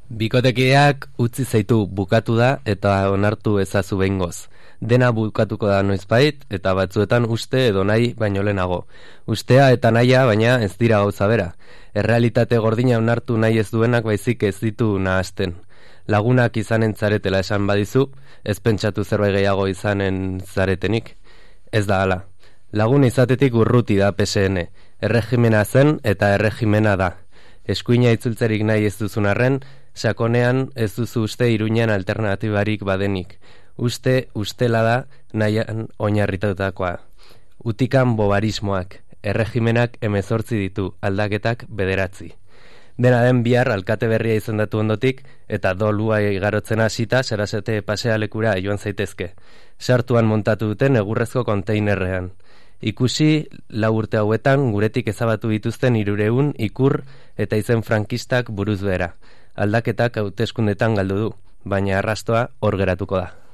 Bikotekideak utzi zaitu bukatu da eta onartu ezazu behingoz. Dena bukatuko da noizbait eta batzuetan uste edo nahi baino lehenago. Ustea eta nahia baina ez dira gauza bera. Errealitate gordina onartu nahi ez duenak baizik ez ditu nahasten. Lagunak izanen zaretela esan badizu, ez pentsatu zerbait gehiago izanen zaretenik. Ez da hala. Lagun izatetik urruti da PSN. Erregimena zen eta erregimena da. Eskuina itzultzerik nahi ez duzun arren, sakonean ez duzu uste Iruñan alternatibarik badenik. Uste ustela da nahian oinarritutakoa. Utikan bobarismoak, erregimenak 18 ditu, aldaketak 9. Dena den bihar alkate berria izendatu ondotik eta dolua igarotzen hasita Sarasate pasealekura joan zaitezke. Sartuan montatu duten egurrezko konteinerrean. Ikusi 4 urte hauetan guretik ezabatu dituzten 300 ikur eta izen frankistak buruz behera. Aldaketak hauteskundetan galdu du, baina arrastoa hor geratuko da.